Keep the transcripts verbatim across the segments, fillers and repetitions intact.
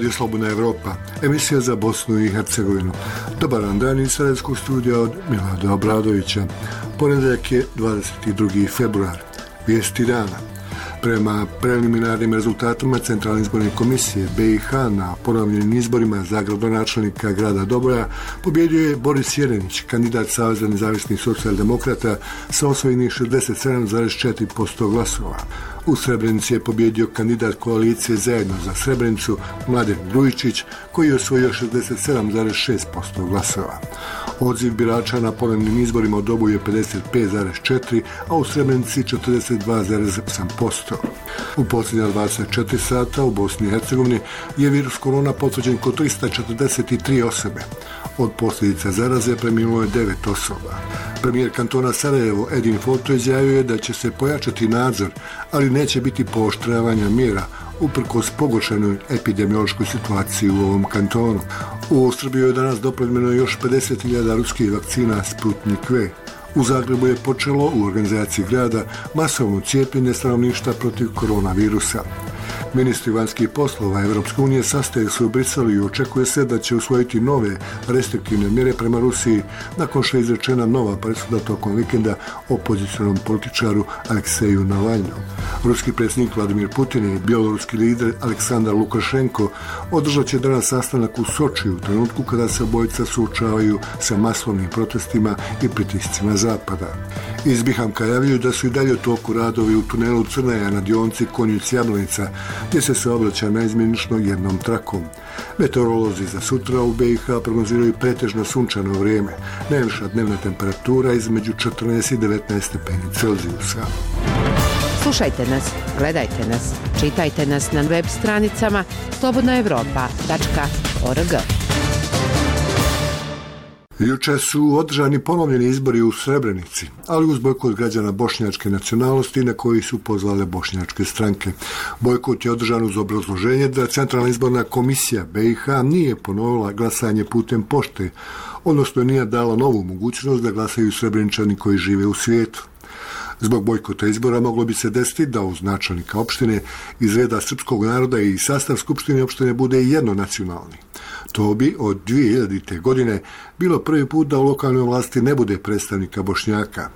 Radio Slobodna Evropa, emisija za Bosnu i Hercegovinu. Dobar dan iz Sarajevskog studija od Milada Obradovića. Ponedjeljak je dvadeset drugi februar. Vijesti dana. Prema preliminarnim rezultatima Centralne izborne komisije B i H na ponovljenim izborima za gradonačelnika grada Doboja pobjedio je Boris Jerenić, kandidat Saveza nezavisnih socijaldemokrata sa osvojenih šezdeset sedam zarez četiri posto glasova. U Srebrenici je pobjedio kandidat koalicije Zajedno za Srebrenicu Mladen Grujičić, koji je osvojio šezdeset sedam zarez šest posto glasova. Odziv birača na ponovnim izborima u Doboju je pedeset pet zarez četiri, a u Srebrenici četrdeset dva zarez osam posto. U posljednja dvadeset četiri sata u Bosni i Hercegovini je virus korona potvrđen kod trista četrdeset tri osobe. Od posljedica zaraze preminulo je devet osoba. Premijer kantona Sarajevo Edin Foto izjavio je da će se pojačati nadzor, ali neće biti pooštravanja mjera uprkos pogoršanoj epidemiološkoj situaciji u ovom kantonu. U Srbiju je danas dopleljeno još pedeset hiljada ruskih vakcina Sputnik V. U Zagrebu je počelo u organizaciji grada masovno cijepljenje stanovništva protiv koronavirusa. Ministri vanjskih poslova Evropske unije sastaju se u Briselu i očekuje se da će usvojiti nove restriktivne mjere prema Rusiji nakon što je izrečena nova presuda tokom vikenda opozicionom političaru Alekseju Navalnom. Ruski predsjednik Vladimir Putin i bjeloruski lider Aleksandar Lukašenko održat će danas sastanak u Sočiju u trenutku kada se obojica suočavaju sa masovnim protestima i pritiscima Zapada. Iz Bihamka javljaju da su i dalje u toku radovi u tunelu Crnaja na dionici Konjic-Jablanica, gdje se saobraća naizmjenično jednom trakom. Meteorolozi za sutra u B i H prognoziraju pretežno sunčano vrijeme. Najviša dnevna temperatura između četrnaest i devetnaest stepeni Celzijusa. Slušajte nas, gledajte nas, čitajte nas na web stranicama slobodna evropa tačka org. Jučer su održani ponovljeni izbori u Srebrenici, ali uz bojkot građana bošnjačke nacionalnosti na koji su pozvale bošnjačke stranke. Bojkot je održan uz obrazloženje da Centralna izborna komisija B i H nije ponovila glasanje putem pošte, odnosno nije dala novu mogućnost da glasaju Srebreničani koji žive u svijetu. Zbog bojkota izbora moglo bi se desiti da uz načelnika opštine iz reda srpskog naroda i sastav skupštine opštine bude jednonacionalni. To bi od dvije hiljadite. godine bilo prvi put da u lokalnoj vlasti ne bude predstavnika Bošnjaka.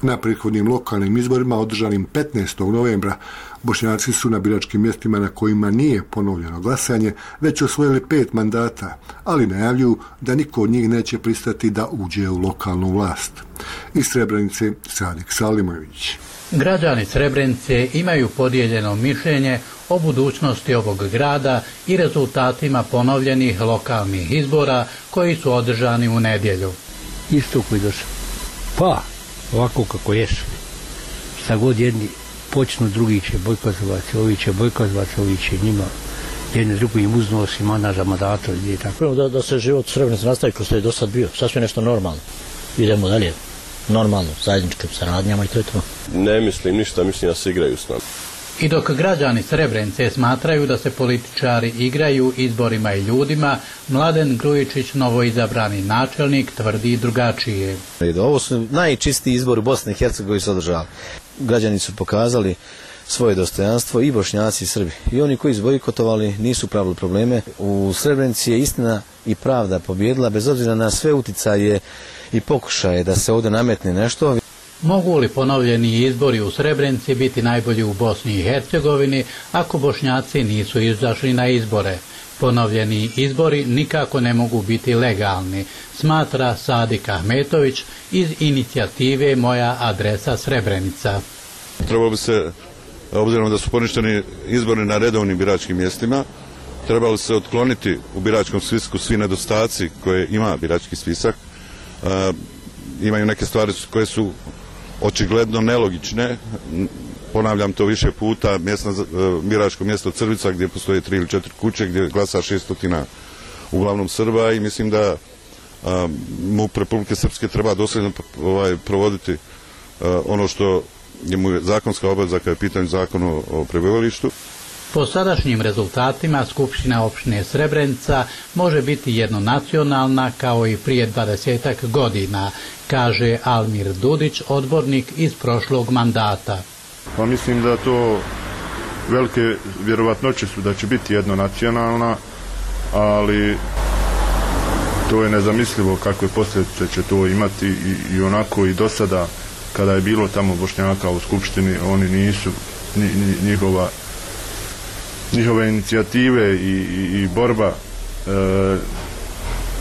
Na prethodnim lokalnim izborima održanim petnaestog novembra Bošnjaci su na biračkim mjestima na kojima nije ponovljeno glasanje već osvojili pet mandata, ali najavljuju da niko od njih neće pristati da uđe u lokalnu vlast. Iz Srebrenice Sadik Salimović. Građani Srebrenice imaju podijeljeno mišljenje o budućnosti ovog grada i rezultatima ponovljenih lokalnih izbora koji su održani u nedjelju. Isto koji došao. Pa, ovako kako jesu. Šta god jedni počnu, drugi će bojkotovati, ovi će bojkotovati, ovi će njima jedni drugi im uznosi mana za mandato i tako. Da, da se život Srebrenice nastavi kao što je do sad bio, sasvim nešto normalno. Idemo dalje, normalno, zajedničkim saradnjama i to je to. Ne mislim ništa, mislim da se igraju s nama. I dok građani Srebrenice smatraju da se političari igraju izborima i ljudima, Mladen Grujičić, novoizabrani načelnik, tvrdi drugačije. Ovo su najčistiji izbori u Bosni i Hercegovini koji su održali. Građani su pokazali svoje dostojanstvo i Bošnjaci i Srbi. I oni koji su bojkotovali nisu pravili probleme. U Srebrenici je istina i pravda pobjedila bez obzira na sve uticaje i pokušaje da se ovdje nametne nešto. Mogu li ponovljeni izbori u Srebrenici biti najbolji u Bosni i Hercegovini ako Bošnjaci nisu izašli na izbore? Ponovljeni izbori nikako ne mogu biti legalni, smatra Sadik Ahmetović iz inicijative Moja adresa Srebrenica. Trebalo bi se, obzirom da su poništeni izbori na redovnim biračkim mjestima, trebalo se otkloniti u biračkom spisku svi nedostaci koje ima birački spisak. E, imaju neke stvari koje su očigledno nelogične. Ponavljam to više puta, mjesna, biračko mjesto Crvica gdje postoje tri ili četiri kuće gdje glasa šeststotina uglavnom Srba i mislim da MUP Republike Srpske treba dosljedno ovaj, provoditi a, ono što je mu zakonska obaveza kada je pitanje zakon o, o prebivalištu. Po sadašnjim rezultatima Skupština opštine Srebrenica može biti jednonacionalna kao i prije dvadesetak godina, kaže Almir Dudić, odbornik iz prošlog mandata. Pa mislim da to velike vjerovatnoće su da će biti jednonacionalna, ali to je nezamislivo kakve posljedice će to imati i, i onako i do sada kada je bilo tamo Bošnjaka u skupštini, oni nisu njihova njihove inicijative i, i, i borba e,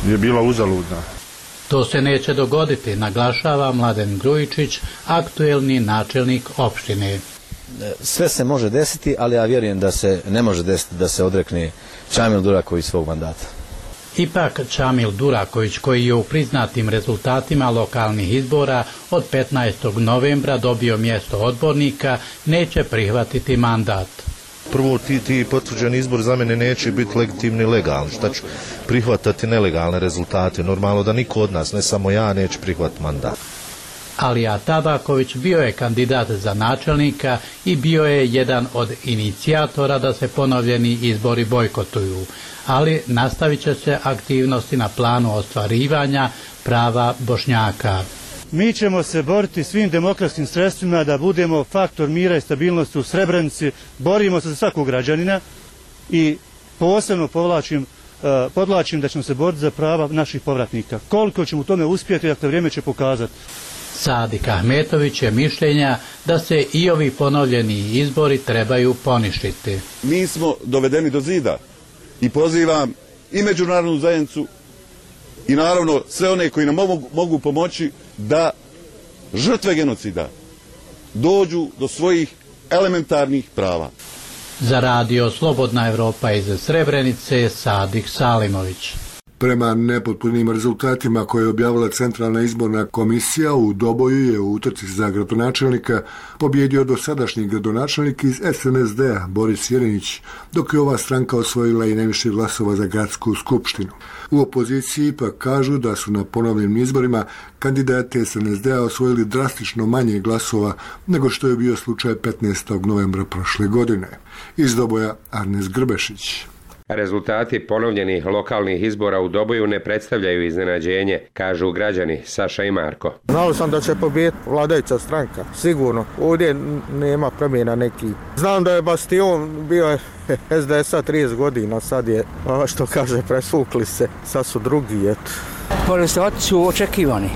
je bila uzaludna. To se neće dogoditi, naglašava Mladen Grujičić, aktuelni načelnik opštine. Sve se može desiti, ali ja vjerujem da se ne može desiti da se odrekne Čamil Duraković svog mandata. Ipak Čamil Duraković, koji je u priznatim rezultatima lokalnih izbora od petnaestog novembra dobio mjesto odbornika, neće prihvatiti mandat. Prvo, ti, ti potvrđeni izbor za mene neće biti legitimni i legalni. Šta ću prihvatati nelegalne rezultate? Normalno da niko od nas, ne samo ja, neće prihvatiti mandat. Alija Tabaković bio je kandidat za načelnika i bio je jedan od inicijatora da se ponovljeni izbori bojkotuju, ali nastavit će se aktivnosti na planu ostvarivanja prava Bošnjaka. Mi ćemo se boriti svim demokratskim sredstvima da budemo faktor mira i stabilnosti u Srebrenici, borimo se za svakog građanina i posebno povlačim, podlačim da ćemo se boriti za prava naših povratnika. Koliko ćemo u tome uspjeti, dakle vrijeme će pokazati. Sadik Ahmetović je mišljenja da se i ovi ponovljeni izbori trebaju poništiti. Mi smo dovedeni do zida i pozivam i međunarodnu zajednicu i naravno sve one koji nam mogu, mogu pomoći da žrtve genocida dođu do svojih elementarnih prava. Za radio Slobodna Evropa iz Srebrenice, Sadik Salimović. Prema nepotpunim rezultatima koje je objavila Centralna izborna komisija, u Doboju je u utrci za gradonačelnika pobjedio dosadašnji gradonačelnik iz es en es de-a Boris Jerinić, dok je ova stranka osvojila i najviše glasova za gradsku skupštinu. U opoziciji ipak kažu da su na ponovnim izborima kandidati es en es de-a osvojili drastično manje glasova nego što je bio slučaj petnaestog novembra prošle godine. Iz Doboja Arnes Grbešić. Rezultati ponovljenih lokalnih izbora u Doboju ne predstavljaju iznenađenje, kažu građani Saša i Marko. Znao sam da će pobijediti vladajuća stranka, sigurno. Ovdje nema promjena neki. Znam da je Bastion bio es de es-a trideset godina, sad je, što kaže, presvukli se, sad su drugi, eto. Rezultati su očekivani.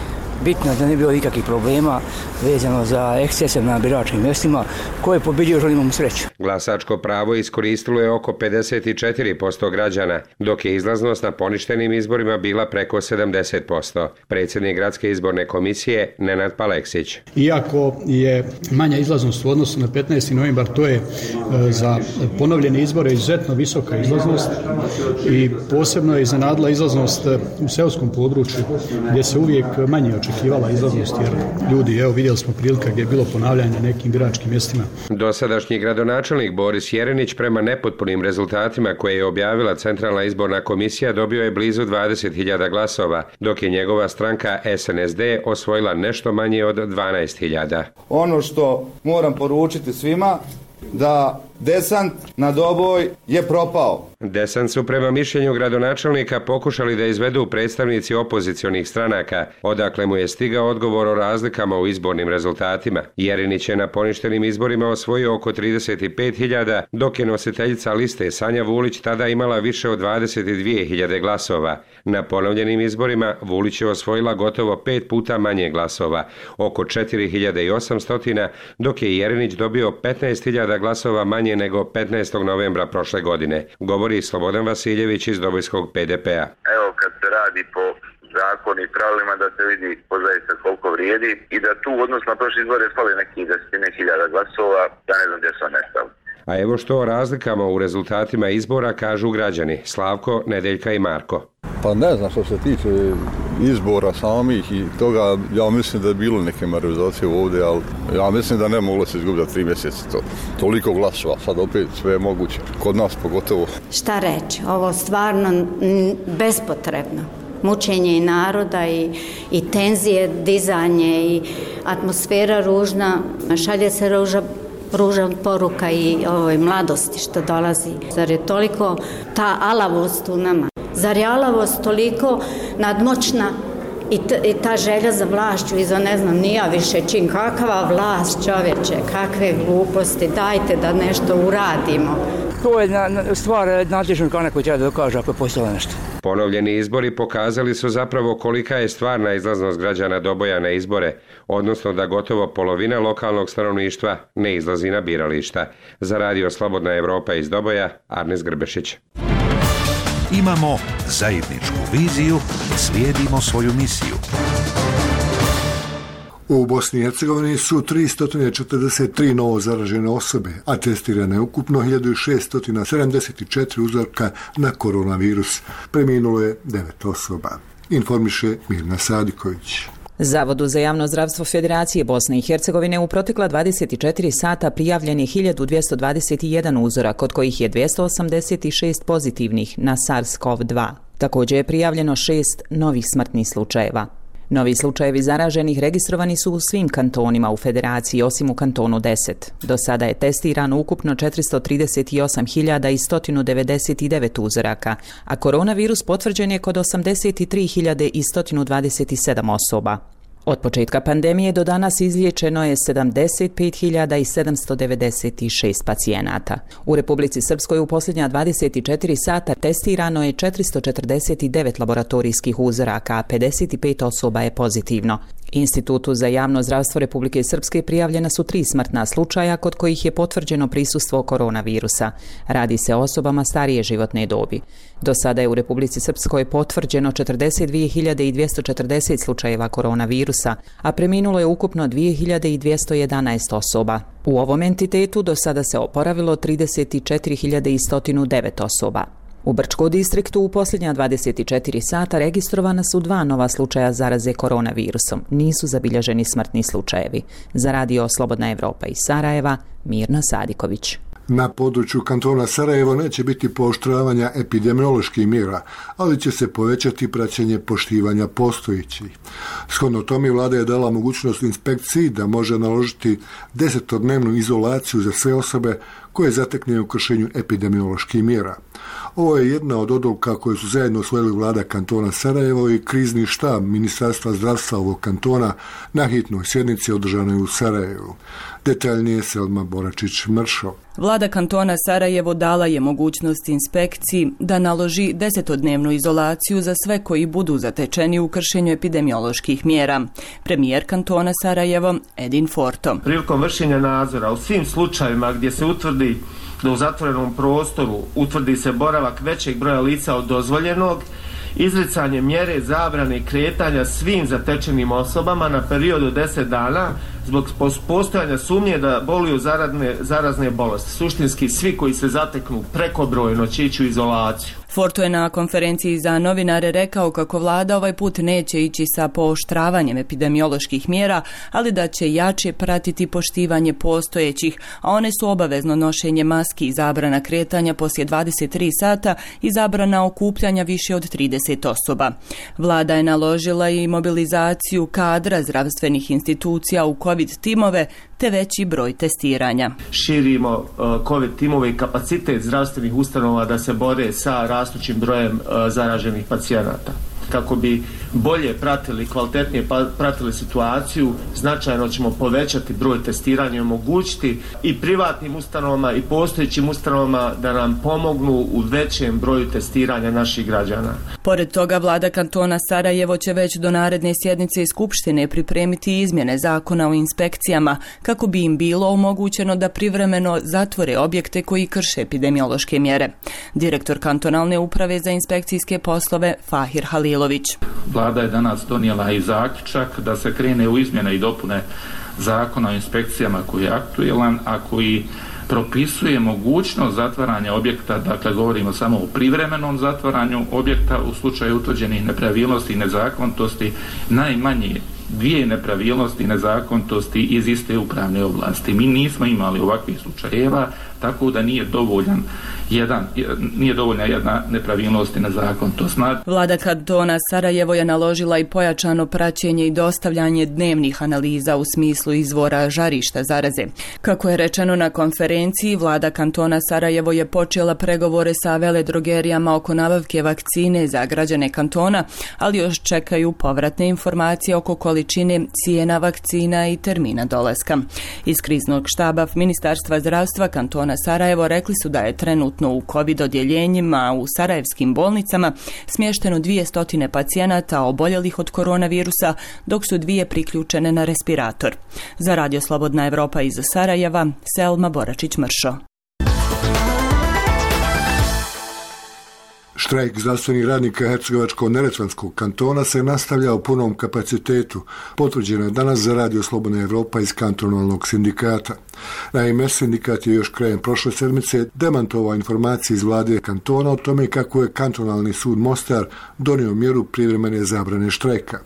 Bitno da ne bilo nikakvih problema vezano za ekscese na biračkim mjestima. Ko je pobjedio, želimo mu sreću. Glasačko pravo iskoristilo je oko pedeset četiri posto građana, dok je izlaznost na poništenim izborima bila preko sedamdeset posto. Predsjednik Gradske izborne komisije Nenad Paleksić. Iako je manja izlaznost u odnosu na petnaesti novembar, to je za ponovljene izbore izuzetno visoka izlaznost i posebno je iznenadila izlaznost u seoskom području gdje se uvijek manje očekivala izlaznost, jer ljudi, evo vidjeli smo prilika gdje je bilo ponavljanje na nekim biračkim mjestima. Dosadašnji gradonačelnik Boris Jerinić prema nepotpunim rezultatima koje je objavila Centralna izborna komisija dobio je blizu dvadeset hiljada glasova, dok je njegova stranka es en es de osvojila nešto manje od dvanaest hiljada. Ono što moram poručiti svima, da desant na Doboj je propao. Desant su prema mišljenju gradonačelnika pokušali da izvedu predstavnici opozicionih stranaka, odakle mu je stigao odgovor o razlikama u izbornim rezultatima. Jerinić je na poništenim izborima osvojio oko trideset pet hiljada, dok je nositeljica liste Sanja Vulić tada imala više od dvadeset dvije hiljade glasova. Na ponovljenim izborima Vulić je osvojila gotovo pet puta manje glasova, oko četiri hiljade osamsto, dok je Jerinić dobio petnaest hiljada glasova manje nego petnaestog novembra prošle godine, govori Slobodan Vasiljević iz Dobojskog pe de pe-a. Evo, kad se radi po zakonu i pravilima, da se vidi pozaista koliko vrijedi i da tu odnos na prošle izbore fali nekih desetine hiljada glasova, ja ne znam gdje su nestali. A evo što o razlikama u rezultatima izbora kažu građani Slavko, Nedeljka i Marko. Pa ne znam, što se tiče izbora samih i toga, ja mislim da je bilo neke manipulacije ovdje, ali ja mislim da ne moglo se izgubiti za tri mjeseca to. Toliko glasova, sad opet sve je moguće, kod nas pogotovo. Šta reći, ovo stvarno bespotrebno. Mučenje i naroda i, i tenzije, dizanje i atmosfera ružna, šalje se ruža ružan poruka i ovoj mladosti što dolazi. Zar je toliko ta alavost u nama? Zar je alavost toliko nadmoćna i, t, i ta želja za vlašću i za ne znam nija više čin? Kakva vlast, čovječe, kakve gluposti, dajte da nešto uradimo. To je na, na, stvar nadležnog organa koji treba da dokaže ako je postojalo nešto. Ponovljeni izbori pokazali su zapravo kolika je stvarna izlaznost građana Doboja na izbore, odnosno da gotovo polovina lokalnog stanovništva ne izlazi na birališta. Za radio Slobodna Evropa iz Doboja, Arnes Grbešić. Imamo zajedničku viziju, slijedimo svoju misiju. U Bosni i Hercegovini su tristo četrdeset tri novo zaražene osobe, a testirane je ukupno hiljadu šesto sedamdeset četiri uzorka na koronavirus. Preminulo je devet osoba. Informiše Mirna Sadiković. Zavodu za javno zdravstvo Federacije Bosne i Hercegovine u protekla dvadeset četiri sata prijavljen je hiljadu dvjesto dvadeset jedan uzorak, od kojih je dvjesto osamdeset šest pozitivnih na SARS-CoV dva. Također je prijavljeno šest novih smrtnih slučajeva. Novi slučajevi zaraženih registrovani su u svim kantonima u Federaciji, osim u kantonu deset. Do sada je testirano ukupno četiristo trideset osam hiljada sto devedeset devet uzoraka, a koronavirus potvrđen je kod osamdeset tri hiljade sto dvadeset sedam osoba. Od početka pandemije do danas izliječeno je sedamdeset pet hiljada sedamsto devedeset šest pacijenata. U Republici Srpskoj u posljednja dvadeset četiri sata testirano je četiristo četrdeset devet laboratorijskih uzoraka, a pedeset pet osoba je pozitivno. Institutu za javno zdravstvo Republike Srpske prijavljena su tri smrtna slučaja kod kojih je potvrđeno prisustvo koronavirusa. Radi se o osobama starije životne dobi. Do sada je u Republici Srpskoj potvrđeno četrdeset dvije hiljade dvjesto četrdeset slučajeva koronavirusa, a preminulo je ukupno dvije hiljade dvjesto jedanaest osoba. U ovom entitetu do sada se oporavilo trideset četiri hiljade sto devet osoba. U Brčkom distriktu u posljednja dvadeset četiri sata registrovana su dva nova slučaja zaraze koronavirusom. Nisu zabilježeni smrtni slučajevi. Za radio Slobodna Evropa iz Sarajeva, Mirna Sadiković. Na području kantona Sarajevo neće biti pooštravanja epidemioloških mjera, ali će se povećati praćenje poštivanja postojećih. Shodno tome vlada je dala mogućnost inspekciji da može naložiti desetodnevnu izolaciju za sve osobe koje zatekne u kršenju epidemioloških mjera. Ovo je jedna od odluka koje su zajedno usvojili vlada kantona Sarajevo i krizni štab Ministarstva zdravstva ovog kantona na hitnoj sjednici održanoj u Sarajevu. Detaljnije Selma Boračić-Mršo. Vlada kantona Sarajevo dala je mogućnost inspekciji da naloži desetodnevnu izolaciju za sve koji budu zatečeni u kršenju epidemioloških mjera. Premijer kantona Sarajevo Edin Forto. Prilikom vršenja nadzora u svim slučajevima gdje se utvrdi da u zatvorenom prostoru utvrdi se boravak većeg broja lica od dozvoljenog, izricanje mjere zabrane kretanja svim zatečenim osobama na period od deset dana zbog postojanja sumnje da boluju zarazne, zarazne bolesti. Suštinski svi koji se zateknu prekobrojno će ići u izolaciju. Forto je na konferenciji za novinare rekao kako vlada ovaj put neće ići sa pooštravanjem epidemioloških mjera, ali da će jače pratiti poštivanje postojećih, a one su obavezno nošenje maski i zabrana kretanja poslije dvadeset tri sata i zabrana okupljanja više od trideset osoba. Vlada je naložila i mobilizaciju kadra zdravstvenih institucija u COVID timove te veći broj testiranja. Širimo uh, COVID timove i kapacitet zdravstvenih ustanova da se bore sa rastućim brojem uh, zaraženih pacijenata. Kako bi bolje pratili, kvalitetnije pratili situaciju, značajno ćemo povećati broj testiranja i omogućiti i privatnim ustanovama i postojećim ustanovama da nam pomognu u većem broju testiranja naših građana. Pored toga, vlada kantona Sarajevo će već do naredne sjednice Skupštine pripremiti izmjene zakona o inspekcijama kako bi im bilo omogućeno da privremeno zatvore objekte koji krše epidemiološke mjere. Direktor kantonalne uprave za inspekcijske poslove Fahir Halil. Vlada je danas donijela i zaključak da se krene u izmjene i dopune zakona o inspekcijama koji je aktuelan, a koji propisuje mogućnost zatvaranja objekta, dakle govorimo samo o privremenom zatvaranju objekta u slučaju utvrđenih nepravilnosti i nezakonitosti, najmanje dvije nepravilnosti i nezakonitosti iz iste upravne oblasti. Mi nismo imali ovakvih slučajeva, tako da nije dovoljan jedan, nije dovoljna jedna nepravilnost i nezakon. To znači. Vlada kantona Sarajevo je naložila i pojačano praćenje i dostavljanje dnevnih analiza u smislu izvora žarišta zaraze. Kako je rečeno na konferenciji, vlada kantona Sarajevo je počela pregovore sa veledrogerijama oko nabavke vakcine za građane kantona, ali još čekaju povratne informacije oko količine, cijena vakcina i termina dolaska. Iz kriznog štaba Ministarstva zdravstva kantona Sarajevo rekli su da je trenutno u COVID odjeljenjima u sarajevskim bolnicama smješteno dvjesto pacijenata oboljelih od koronavirusa, dok su dvije priključene na respirator. Za Radio Slobodna Evropa iz Sarajeva, Selma Boračić-Mršo. Štrajk zdravstvenih radnika Hercegovačko-neretvanskog kantona se nastavlja u punom kapacitetu. Potvrđeno je danas za Radio Slobodna Evropa iz kantonalnog sindikata. Naime, sindikat je još krajem prošle sedmice demantovao informacije iz vlade kantona o tome kako je kantonalni sud Mostar donio mjeru privremene zabrane štrajka.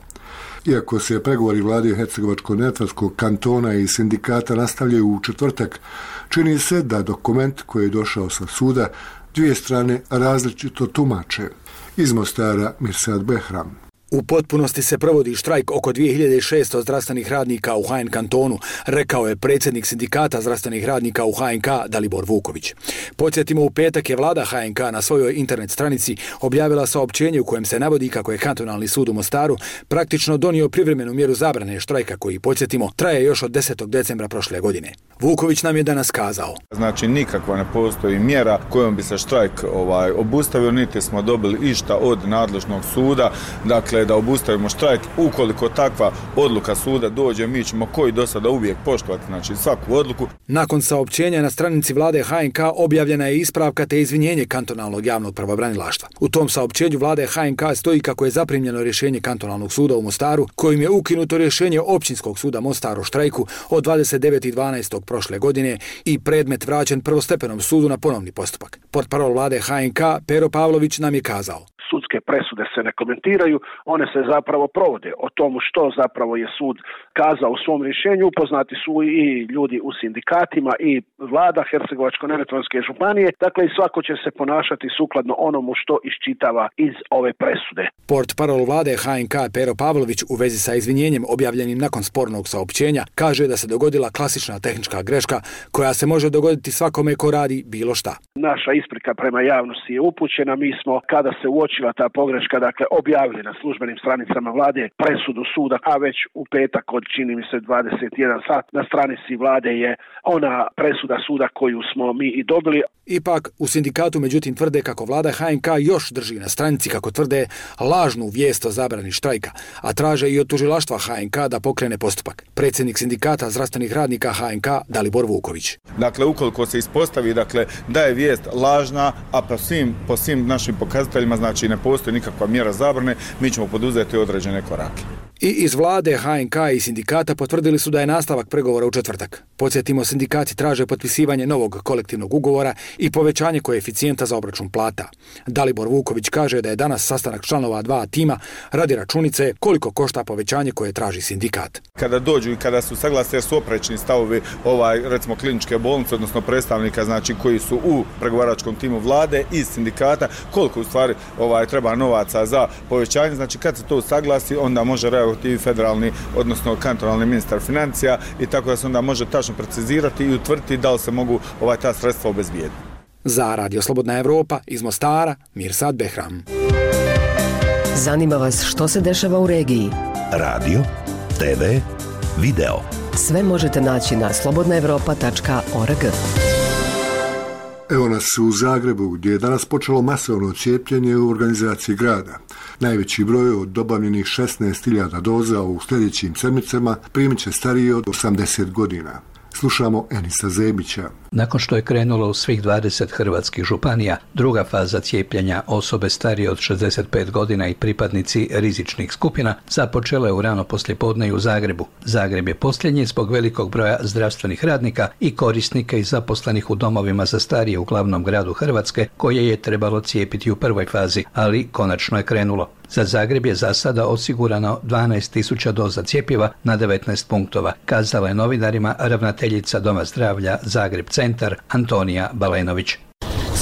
Iako se pregovori vlade Hercegovačko-neretvanskog kantona i sindikata nastavljaju u četvrtak, čini se da dokument koji je došao sa suda dvije strane različito tumače. Iz Mostara, Mirsad Behram. U potpunosti se provodi štrajk oko dvije hiljade šesto zdravstvenih radnika u H N kantonu, rekao je predsjednik sindikata zdravstvenih radnika u H N K Dalibor Vuković. Podsjetimo, u petak je vlada H N K na svojoj internet stranici objavila saopćenje u kojem se navodi kako je kantonalni sud u Mostaru praktično donio privremenu mjeru zabrane štrajka koji, podsjetimo, traje još od desetog decembra prošle godine. Vuković nam je danas kazao. Znači, nikakva ne postoji mjera kojom bi se štrajk ovaj, obustavio, niti smo dobili išta od nadležnog suda, dakle da obustavimo štrajk. Ukoliko takva odluka suda dođe, mi ćemo koji do sada uvijek poštovati, znači svaku odluku. Nakon saopćenja na stranici vlade H N K objavljena je ispravka te izvinjenje kantonalnog javnog pravobranilaštva. U tom saopćenju vlade H N K stoji kako je zaprimljeno rješenje kantonalnog suda u Mostaru, kojim je ukinuto rješenje općinskog suda Mostar o štrajku od dvadeset devetog dvanaestog prošle godine i predmet vraćen prvostepenom sudu na ponovni postupak. Portparol vlade H N K Pero Pavlović nam je kazao. Sudske presude se ne komentiraju, one se zapravo provode. O tomu što zapravo je sud kazao u svom rješenju upoznati su i ljudi u sindikatima i vlada Hercegovačko-neretvanske županije, dakle i svako će se ponašati sukladno onomu što iščitava iz ove presude. Portparol vlade H N K Pero Pavlović u vezi sa izvinjenjem objavljenim nakon spornog saopćenja kaže da se dogodila klasična tehnička greška koja se može dogoditi svakome ko radi bilo šta. Naša isprika prema javnosti je upućena, mi smo kada se uočila ta pogreška, dakle objavili na službenim stranicama vlade presudu suda, a već u petak od čini mi se dvadeset jedan sat na stranici vlade je ona presuda suda koju smo mi i dobili. Ipak u sindikatu međutim tvrde kako vlada H N K još drži na stranici, kako tvrde, lažnu vijest o zabrani štrajka, a traže i od tužilaštva H N K da pokrene postupak. Predsjednik sindikata zdravstvenih radnika H N K Dalibor Vuković. Dakle, ukoliko se ispostavi dakle da je vijest lažna, a po svim, po svim našim pokazateljima znači ne postoji nikakva mjera zabrane, mi ćemo poduzeti određene korake. I iz vlade H N K i sindikata potvrdili su da je nastavak pregovora u četvrtak. Podsjetimo, sindikati traže potpisivanje novog kolektivnog ugovora i povećanje koeficijenta za obračun plata. Dalibor Vuković kaže da je danas sastanak članova dva tima radi računice koliko košta povećanje koje traži sindikat. Kada dođu i kada su saglasni, jer su oprečni stavovi ovaj, recimo kliničke bolnice, odnosno predstavnika znači koji su u pregovaračkom timu vlade i sindikata, koliko u stvari ovaj, treba novaca za povećanje, znači kad se to saglasi, onda može reagovati federalni, odnosno kantonalni ministar financija i tako da se onda može tačno precizirati i utvrditi da li se mogu ovaj ta sredstva obezbijediti. Za Radio Slobodna Evropa iz Mostara, Mirsad Behram. Zanima vas što se dešava u regiji? Radio, te ve, video. Sve možete naći na slobodna evropa tačka org. Evo nas u Zagrebu, gdje je danas počelo masovno cijepljenje u organizaciji grada. Najveći broj od dobavljenih šesnaest hiljada doza u sljedećim sedmicama primit će stariji od osamdeset godina. Slušamo Enisa Zebića. Nakon što je krenulo u svih dvadeset hrvatskih županija, druga faza cijepljenja osobe starije od šezdeset pet godina i pripadnici rizičnih skupina započela je u rano poslijepodne i u Zagrebu. Zagreb je posljednji zbog velikog broja zdravstvenih radnika i korisnika i zaposlenih u domovima za starije u glavnom gradu Hrvatske, koje je trebalo cijepiti u prvoj fazi, ali konačno je krenulo. Za Zagreb je za sada osigurano dvanaest tisuća doza cjepiva na devetnaest punktova, kazala je novinarima ravnateljica Doma zdravlja Zagreb centar Antonija Balenović.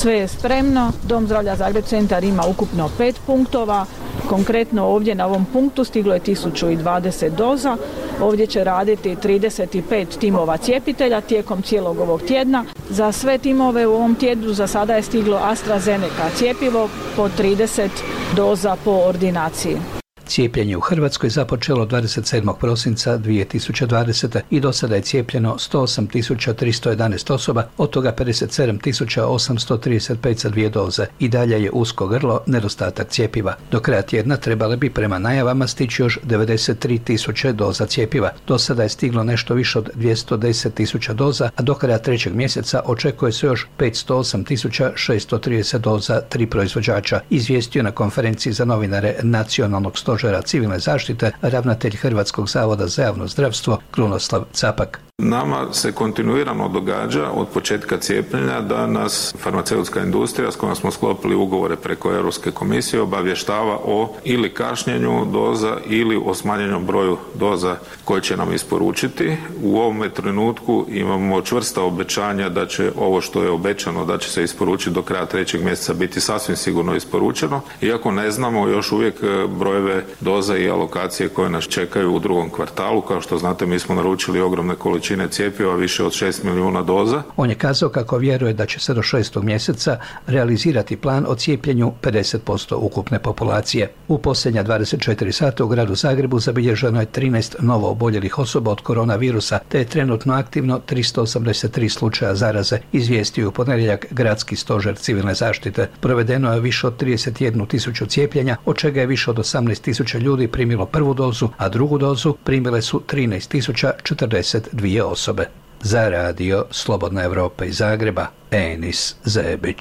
Sve je spremno. Dom zdravlja Zagreb centar ima ukupno pet punktova. Konkretno ovdje na ovom punktu stiglo je tisuću dvadeset doza. Ovdje će raditi trideset pet timova cijepitelja tijekom cijelog ovog tjedna. Za sve timove u ovom tjednu za sada je stiglo AstraZeneca cjepivo po trideset doza po ordinaciji. Cijepljenje u Hrvatskoj započelo dvadeset sedmog prosinca dvije tisuće dvadesete. i do sada je cijepljeno sto osam tisuća tristo jedanaest osoba, od toga pedeset sedam tisuća osamsto trideset pet sa dvije doze. I dalje je usko grlo, nedostatak cjepiva. Do kraja tjedna trebale bi prema najavama stići još devedeset tri tisuće doza cjepiva. Do sada je stiglo nešto više od dvjesto deset tisuća doza, a do kraja trećeg mjeseca očekuje se još petsto osam tisuća šesto trideset doza tri proizvođača, izvijestio na konferenciji za novinare Nacionalnog stožera civilne zaštite ravnatelj Hrvatskog zavoda za javno zdravstvo Krunoslav Capak. Nama se kontinuirano događa od početka cijepljenja da nas farmaceutska industrija s kojom smo sklopili ugovore preko Europske komisije obavještava o ili kašnjenju doza ili o smanjenju broju doza koje će nam isporučiti. U ovome trenutku imamo čvrsta obećanja da će ovo što je obećano da će se isporučiti do kraja trećeg mjeseca biti sasvim sigurno isporučeno, iako ne znamo još uvijek brojeve doza i alokacije koje nas čekaju u drugom kvartalu. Kao što znate, mi smo naručili ogromne količine cijepiva, više od šest milijuna doza. On je kazao kako vjeruje da će se do šestog mjeseca realizirati plan o cijepljenju pedeset posto ukupne populacije. U posljednja dvadeset četiri sata u gradu Zagrebu zabilježeno je trinaest novo oboljelih osoba od koronavirusa, te je trenutno aktivno tristo osamdeset tri slučaja zaraze, izvijestio u ponedjeljak Gradski stožer civilne zaštite. Provedeno je više od trideset jednu tisuću cijepljenja, od čega je više od osamnaest tisuća ljudi primilo prvu dozu, a drugu dozu primile su trinaest tisuća četrdeset dvije osobe. Za radio Slobodna Evropa iz Zagreba, Enis Zebić.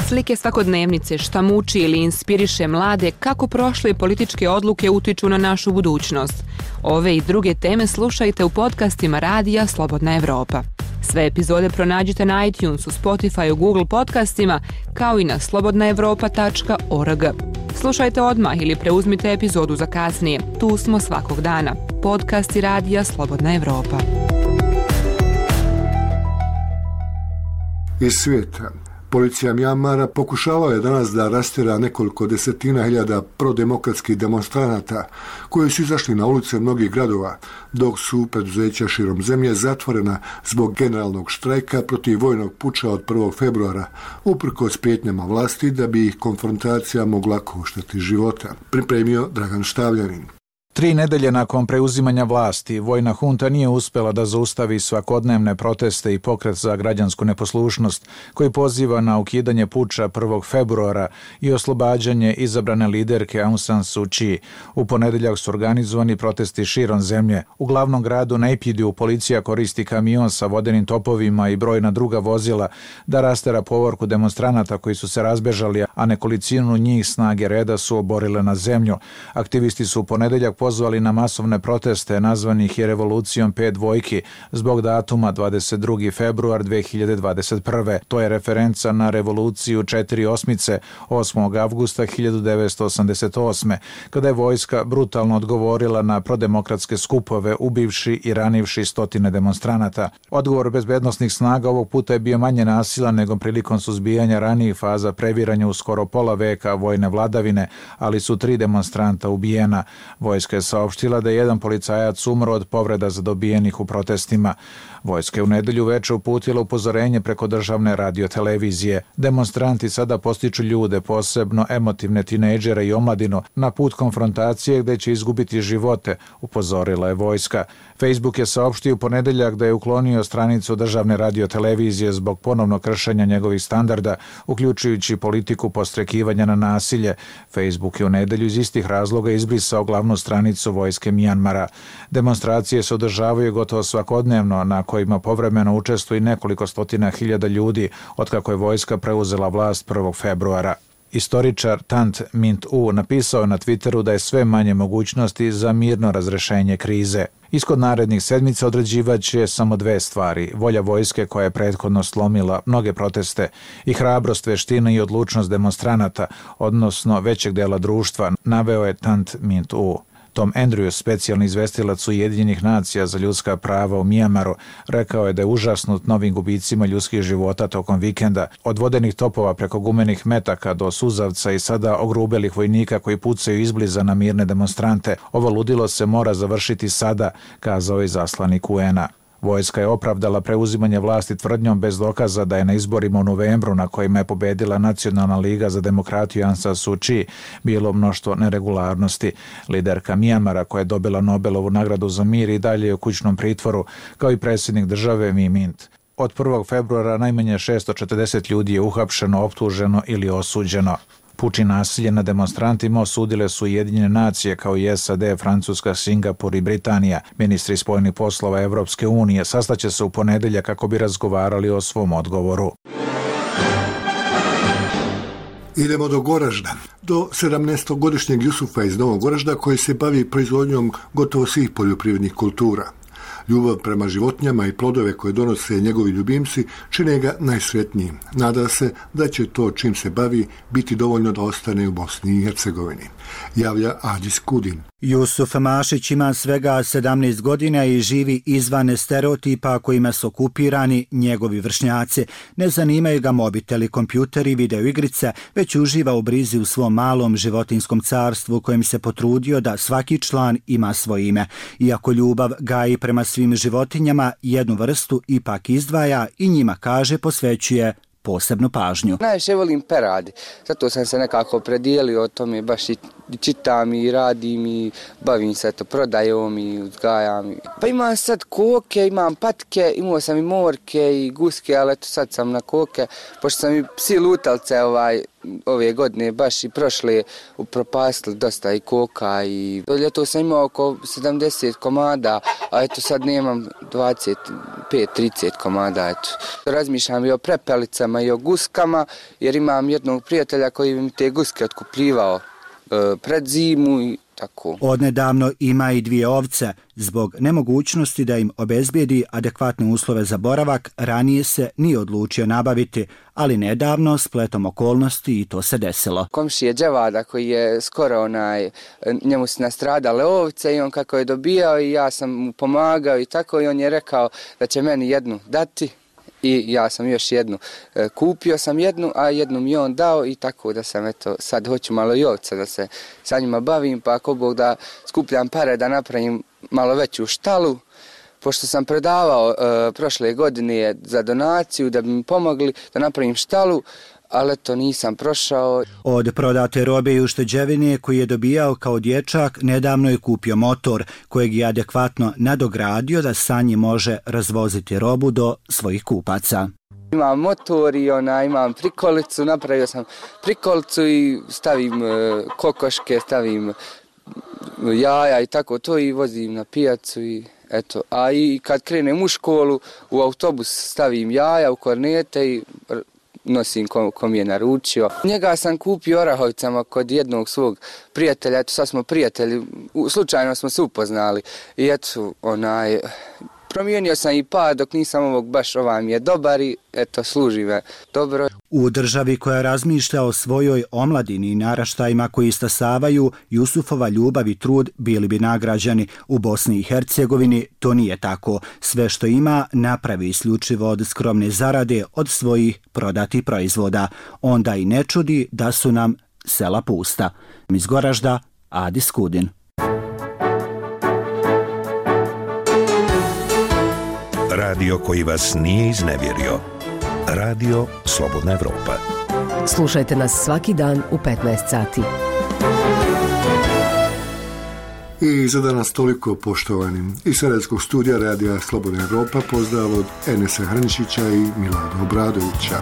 Slike svakodnevnice, šta muči ili inspiriše mlade, kako prošle političke odluke utiču na našu budućnost. Ove i druge teme slušajte u podcastima radija Slobodna Evropa. Sve epizode pronađite na iTunesu, Spotifyu, Google podcastima, kao i na slobodna evropa tačka org. Slušajte odmah ili preuzmite epizodu za kasnije. Tu smo svakog dana. Podcasti radija Slobodna Evropa. Iz svijeta. Policija Mjanmara pokušavala je danas da rastjera nekoliko desetina hiljada prodemokratskih demonstranata koji su izašli na ulice mnogih gradova, dok su preduzeća širom zemlje zatvorena zbog generalnog štrajka protiv vojnog puča od prvog februara, uprkos prijetnjama vlasti da bi ih konfrontacija mogla koštati života. Pripremio Dragan Štavljanin. Tri nedelje nakon preuzimanja vlasti, vojna hunta nije uspjela da zaustavi svakodnevne proteste i pokret za građansku neposlušnost koji poziva na ukidanje puča prvog februara i oslobađanje izabrane liderke Aung San Suu Kyi. U ponedjeljak su organizovani protesti širom zemlje. U glavnom gradu Naypyidaw policija koristi kamion sa vodenim topovima i brojna druga vozila da rastera povorku demonstranata koji su se razbežali, a nekolicinu njih snage reda su oborile na zemlju. Aktivisti su u ponedjeljak pozvali na masovne proteste nazvanih i revolucijom pet dvojki zbog datuma dvadeset drugi februar dve hiljade dvadeset prve. To je referenca na revoluciju četiri osmice osmog avgusta hiljadu devetsto osamdeset osme. kada je vojska brutalno odgovorila na prodemokratske skupove, ubivši i ranivši stotine demonstranata. Odgovor bezbednosnih snaga ovog puta je bio manje nasilan nego prilikom suzbijanja ranijih faza previranja u skoro pola veka vojne vladavine, ali su tri demonstranta ubijena. Vojska je saopštila da je jedan policajac umro od povreda zadobijenih u protestima. Vojska je u nedelju veče uputila upozorenje preko državne radiotelevizije. Demonstranti sada postiču ljude, posebno emotivne tinejdžere i omladinu, na put konfrontacije gdje će izgubiti živote, upozorila je vojska. Facebook je saopštio u ponedjeljak da je uklonio stranicu državne radiotelevizije zbog ponovnog kršenja njegovih standarda, uključujući politiku podstrekivanja na nasilje. Facebook je u nedelju iz istih razloga izbrisao glavnu stranicu vojske Mjanmara. Demonstracije se održavaju gotovo svakodnevno, na kojima povremeno učestvuje nekoliko stotina hiljada ljudi otkako je vojska preuzela vlast prvog februara. Istoričar Tant Mint U napisao je na Twitteru da je sve manje mogućnosti za mirno razrešenje krize. Ishod narednih sedmica određivat će samo dve stvari: volja vojske koja je prethodno slomila mnoge proteste i hrabrost, veština i odlučnost demonstranata, odnosno većeg dela društva, naveo je Tant Mint U. Tom Andrews, specijalni izvestilac Ujedinjenih nacija za ljudska prava u Mijamaru, rekao je da je užasnut novim gubicima ljudskih života tokom vikenda, od vodenih topova preko gumenih metaka do suzavca i sada ogrubelih vojnika koji pucaju izbliza na mirne demonstrante. Ovo ludilo se mora završiti sada, kazao je zaslanik U N-a. Vojska je opravdala preuzimanje vlasti tvrdnjom bez dokaza da je na izborima u novembru na kojima je pobedila Nacionalna liga za demokratiju Aung San Suu Kyi bilo mnoštvo neregularnosti. Liderka Mijamara, koja je dobila Nobelovu nagradu za mir, i dalje je u kućnom pritvoru, kao i predsjednik države Win Myint. Od prvog februara najmanje šesto četrdeset ljudi je uhapšeno, optuženo ili osuđeno. Puč i nasilje na demonstrantima osudile su Ujedinjene nacije kao i S A D, Francuska, Singapur i Britanija. Ministri spoljnih poslova Evropske unije sastaće se u ponedeljak kako bi razgovarali o svom odgovoru. Idemo do Goražda. Do sedamnaestogodišnjeg Jusufa iz Novog Goražda koji se bavi proizvodnjom gotovo svih poljoprivrednih kultura. Ljubav prema životinjama i plodove koje donose njegovi ljubimci čine ga najsretnijim. Nada se da će to čim se bavi biti dovoljno da ostane u Bosni i Hercegovini, javlja Adis Kudin. Jusuf Mašić ima svega sedamnaest godina i živi izvan stereotipa kojima su okupirani njegovi vršnjaci. Ne zanimaju ga mobiteli, kompjuteri, videoigrice, već uživa u brizi u svom malom životinskom carstvu kojem se potrudio da svaki član ima svoje ime. Iako ljubav gaji prema svim životinjama, jednu vrstu ipak izdvaja i njima, kaže, posvećuje posebnu pažnju. Najviše volim peradi, zato sam se nekako predijelio o tome, baš i čitam i radim i bavim se to prodajom i uzgajam. Pa imam sad koke, imam patke, imao sam i morke i guske, ali eto sad sam na koke, pošto sam i psi lutalce ovaj, ove godine, baš i prošle upropastili dosta i koka i do ljeto sam imao oko sedamdeset komada, a eto sad nemam dvadeset pet trideset komada, eto. Razmišljam i o prepelicama i o guskama, jer imam jednog prijatelja koji mi te guske otkupljivao e, pred zimu i tako. Odnedavno ima i dvije ovce. Zbog nemogućnosti da im obezbijedi adekvatne uslove za boravak, ranije se nije odlučio nabaviti, ali nedavno, spletom okolnosti, i to se desilo. Komšije Đevada koji je skoro onaj, njemu su nastradale ovce i on kako je dobijao i ja sam mu pomagao i tako i on je rekao da će meni jednu dati. I ja sam još jednu, kupio sam jednu, a jednu mi on dao i tako da sam, eto, sad hoću malo i ovca da se sa njima bavim, pa ako Bog da skupljam pare da napravim malo veću štalu, pošto sam predavao e, prošle godine za donaciju da bi mi pomogli da napravim štalu, ali to nisam prošao. Od prodate robe i ušteđevine koji je dobijao kao dječak, nedavno je kupio motor kojeg je adekvatno nadogradio da sa njim može razvoziti robu do svojih kupaca. Imam motor i ona, imam prikolicu, napravio sam prikolicu i stavim e, kokoške, stavim jaja i tako to i vozim na pijacu i eto. A i kad krenem u školu, u autobus stavim jaja u kornete i nosim kom, kom je naručio. Njega sam kupio Orahovicama kod jednog svog prijatelja, eto sad smo prijatelji, slučajno smo se upoznali i eto onaj, promijenio sam i pa dok nisam ovog baš ovaj mi je dobar i eto služi me dobro. U državi koja razmišlja o svojoj omladini i naraštajima koji istasavaju, Jusufova ljubav i trud bili bi nagrađeni. U Bosni i Hercegovini to nije tako. Sve što ima napravi isključivo od skromne zarade od svojih prodatih proizvoda. Onda i ne čudi da su nam sela pusta. Iz Goražda, Adis Kudin. Radio koji vas nije iznevjerio. Radio Slobodna Evropa. Slušajte nas svaki dan u petnaest sati. I za danas toliko, poštovani. Iz Sarajevskog studija Radija Slobodna Evropa pozdrav od Enesa Hrnčića i Milada Obradovića.